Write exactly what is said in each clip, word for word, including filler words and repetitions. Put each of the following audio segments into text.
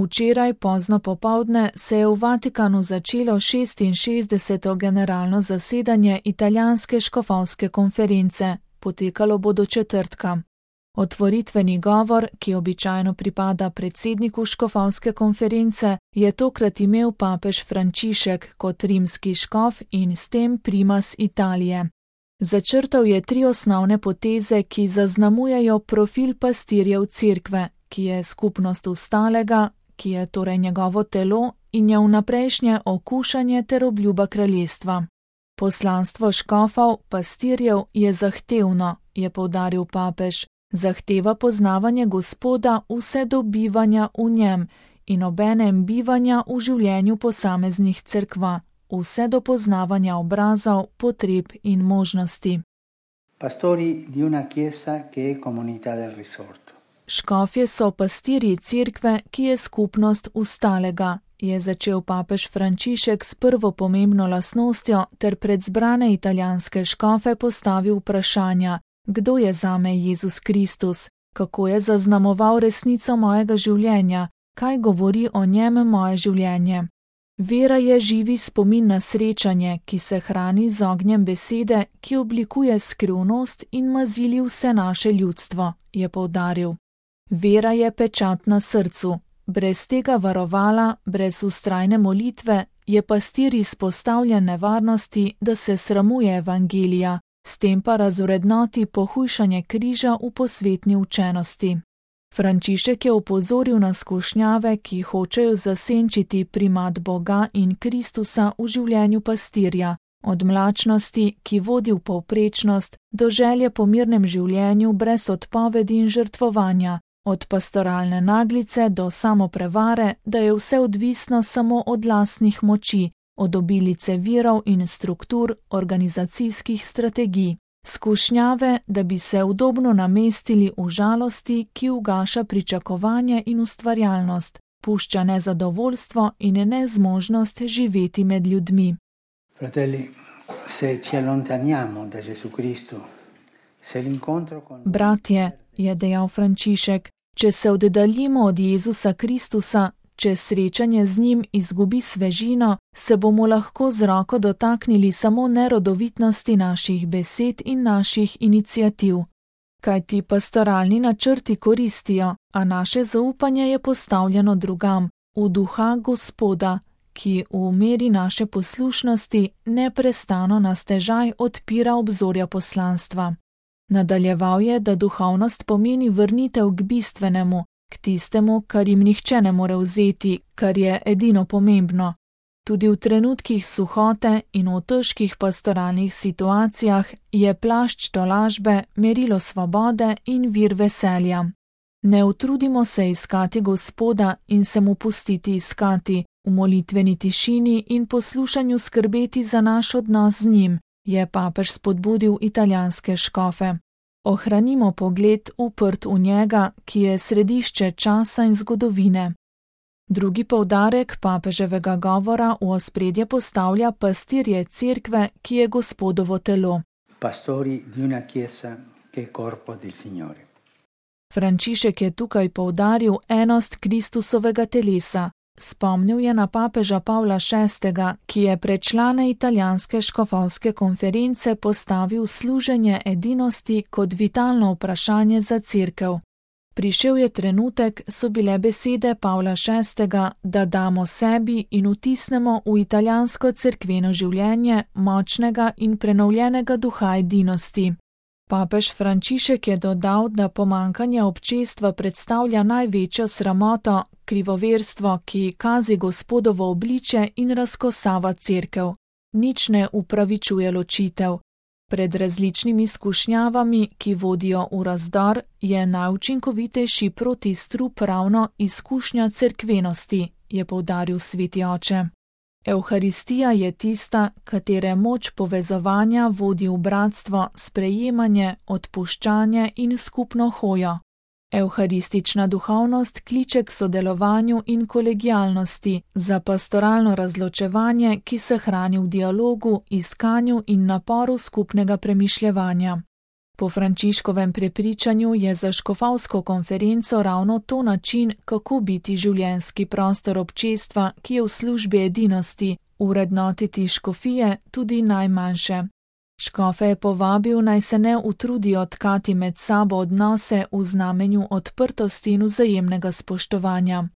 Včeraj pozno popoldne se je v Vatikanu začelo šestinšestdeseto generalno zasedanje italijanske škofovske konference, potekalo bo do četrtka. Otvoritveni govor, ki običajno pripada predsedniku škofovske konference, je tokrat imel papež Frančišek kot rimski škof in s tem primas Italije. Začrtal je tri osnovne poteze, ki zaznamujejo profil pastirjev cerkve, ki je skupnost ustalega, ki je torej njegovo telo in je vnaprejšnje okušanje ter obljuba kraljestva. Poslanstvo škofov, pastirjev je zahtevno, je poudaril papež, zahteva poznavanje Gospoda vse do bivanja v njem in obenem bivanja v življenju posameznih cerkva, vse do poznavanja obrazov, potreb in možnosti. Pastori di una chiesa che è comunità del risorto. Škofje so pastirji cerkve, ki je skupnost ustalega, je začel papež Frančišek s prvo pomembno lastnostjo ter pred zbrane italijanske škofe postavil vprašanja, kdo je zame Jezus Kristus, kako je zaznamoval resnico mojega življenja, kaj govori o njem moje življenje. Vera je živi spomin na srečanje, ki se hrani z ognjem besede, ki oblikuje skrivnost in mazili vse naše ljudstvo, je poudaril. Vera je pečat na srcu. Brez tega varovala, brez vztrajne molitve, je pastir izpostavljen nevarnosti, da se sramuje evangelija, s tem pa razvrednoti pohujšanje križa v posvetni učenosti. Frančišek je opozoril na skušnjave, ki hočejo zasenčiti primat Boga in Kristusa v življenju pastirja, od mlačnosti, ki vodi v povprečnost, do želje po mirnem življenju brez odpovedi in žrtvovanja, od pastoralne naglice do samoprevare, da je vse odvisno samo od lastnih moči, od obilice virov in struktur organizacijskih strategij. Skušnjave, da bi se udobno namestili v žalosti, ki ugaša pričakovanje in ustvarjalnost, pušča nezadovoljstvo in nezmožnost živeti med ljudmi. Fratelli, se ci allontaniamo da Gesù Cristo, se l'incontro con... Bratje, je dejal Frančišek, če se oddaljimo od Jezusa Kristusa, če srečanje z njim izgubi svežino, se bomo lahko z roko dotaknili samo nerodovitnosti naših besed in naših iniciativ. Kajti pastoralni načrti koristijo, a naše zaupanje je postavljeno drugam, v duha Gospoda, ki v meri naše poslušnosti neprestano na stežaj odpira obzorja poslanstva. Nadaljeval je, da duhovnost pomeni vrnitev k bistvenemu, k tistemu, kar jim nihče ne more vzeti, kar je edino pomembno. Tudi v trenutkih suhote in v težkih pastoralnih situacijah je plašč tolažbe merilo svobode in vir veselja. Ne utrudimo se iskati Gospoda in se mu pustiti iskati, v molitveni tišini in poslušanju skrbeti za naš odnos z njim, je papež spodbudil italijanske škofe. Ohranimo pogled uprt v njega, ki je središče časa in zgodovine. Drugi poudarek papeževega govora v ospredje postavlja pastirje cerkve, ki je Gospodovo telo. Pastori di una chiesa che è corpo del Signore. Frančišek je tukaj poudaril enost Kristusovega telesa. Spomnil je na papeža Pavla šestega, ki je pred člane italijanske škofovske konference postavil služenje edinosti kot vitalno vprašanje za cerkev. Prišel je trenutek, so bile besede Pavla šestega, da damo sebi in vtisnemo v italijansko cerkveno življenje močnega in prenovljenega duha edinosti. Papež Frančišek je dodal, da pomanjkanje občestva predstavlja največjo sramoto, krivoverstvo, ki kazi Gospodovo obličje in razkosava cerkev. Nič ne upravičuje ločitev. Pred različnimi skušnjavami, ki vodijo v razdor, je najučinkovitejši protistrup ravno izkušnja cerkvenosti, je poudaril sveti oče. Evharistija je tista, katere moč povezovanja vodi v bratstvo, sprejemanje, odpuščanje in skupno hojo. Evharistična duhovnost kliče k sodelovanju in kolegialnosti, za pastoralno razločevanje, ki se hrani v dialogu, iskanju in naporu skupnega premišljevanja. Po Frančiškovem prepričanju je za škofovsko konferenco ravno to način, kako biti življenjski prostor občestva, ki je v službi edinosti, urednotiti škofije, tudi najmanjše. Škofe je povabil, naj se ne utrudijo tkati med sabo odnose v znamenju odprtosti in vzajemnega spoštovanja.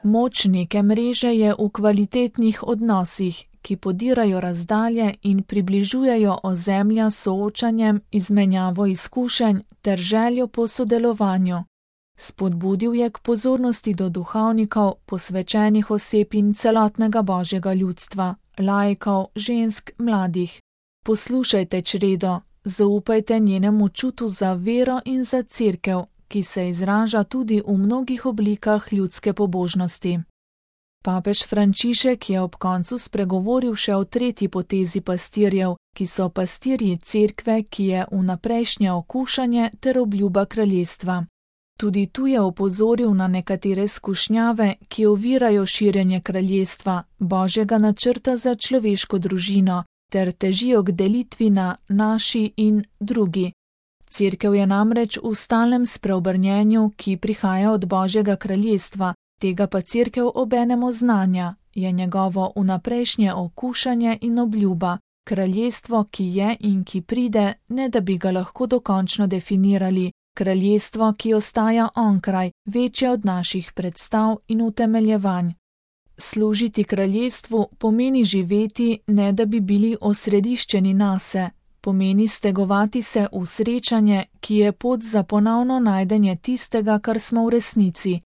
Moč neke mreže je v kvalitetnih odnosih, ki podirajo razdalje in približujejo ozemlja soočanjem, izmenjavo izkušenj ter željo po sodelovanju. Spodbudil je k pozornosti do duhovnikov, posvečenih oseb in celotnega božjega ljudstva, laikov, žensk, mladih. Poslušajte čredo, zaupajte njenemu čutu za vero in za cerkev, ki se izraža tudi v mnogih oblikah ljudske pobožnosti. Papež Frančišek je ob koncu spregovoril še o tretji potezi pastirjev, ki so pastirji cerkve, ki je vnaprejšnje okušanje ter obljuba kraljestva. Tudi tu je opozoril na nekatere skušnjave, ki ovirajo širjenje kraljestva, božjega načrta za človeško družino, ter težijo k delitvi na naši in drugi. Cerkev je namreč v stalnem spreobrnjenju, ki prihaja od božjega kraljestva, tega pa cerkev obenem oznanja, je njegovo vnaprejšnje okušanje in obljuba, kraljestvo, ki je in ki pride, ne da bi ga lahko dokončno definirali, kraljestvo, ki ostaja onkraj, večje od naših predstav in utemeljevanj. Služiti kraljestvu pomeni živeti, ne da bi bili osrediščeni nase, pomeni stegovati se v srečanje, ki je pot za ponovno najdenje tistega, kar smo v resnici,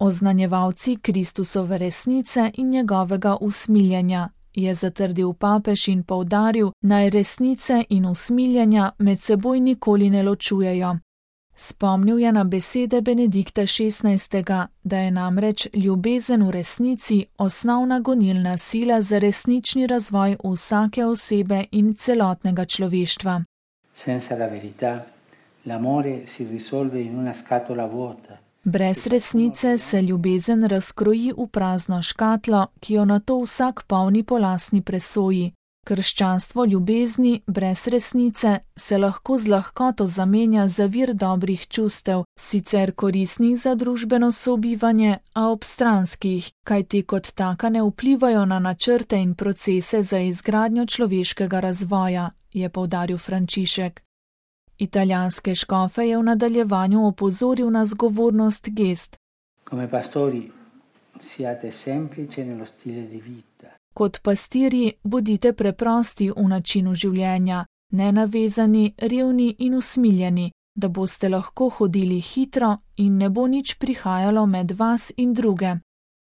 oznanjevalci Kristusove resnice in njegovega usmiljenja, je zatrdil papež in poudaril, naj resnice in usmiljenja med seboj nikoli ne ločujejo. Spomnil je na besede Benedikta šestnajstega, da je namreč ljubezen v resnici osnovna gonilna sila za resnični razvoj vsake osebe in celotnega človeštva. Senza la verità, l'amore si risolve in una scatola vuota. Brez resnice se ljubezen razkroji v prazno škatlo, ki jo nato vsak polni po lastni presoji. Krščanstvo ljubezni brez resnice se lahko z lahkoto zamenja za vir dobrih čustev, sicer koristnih za družbeno sobivanje, a obstranskih, kajti kot taka ne vplivajo na načrte in procese za izgradnjo človeškega razvoja, je poudaril Frančišek. Italijanske škofe je v nadaljevanju opozoril na zgovornost gest. Come pastori siate semplici nello stile di vita. Kot pastirji bodite preprosti v načinu življenja, nenavezani, revni in usmiljeni, da boste lahko hodili hitro in ne bo nič prihajalo med vas in druge.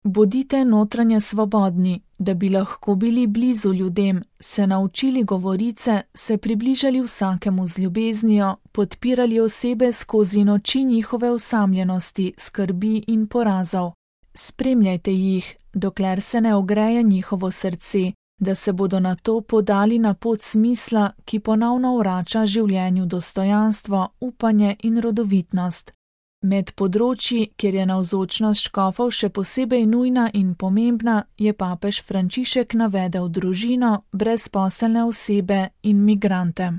Bodite notranje svobodni, da bi lahko bili blizu ljudem, se naučili govorice, se približali vsakemu z ljubeznijo, podpirali osebe skozi noči njihove osamljenosti, skrbi in porazov. Spremljajte jih, dokler se ne ogreje njihovo srce, da se bodo nato podali na pot smisla, ki ponovno vrača življenju dostojanstvo, upanje in rodovitnost. Med področji, kjer je navzočnost škofov še posebej nujna in pomembna, je papež Frančišek navedel družino, brezposelne osebe in migrante.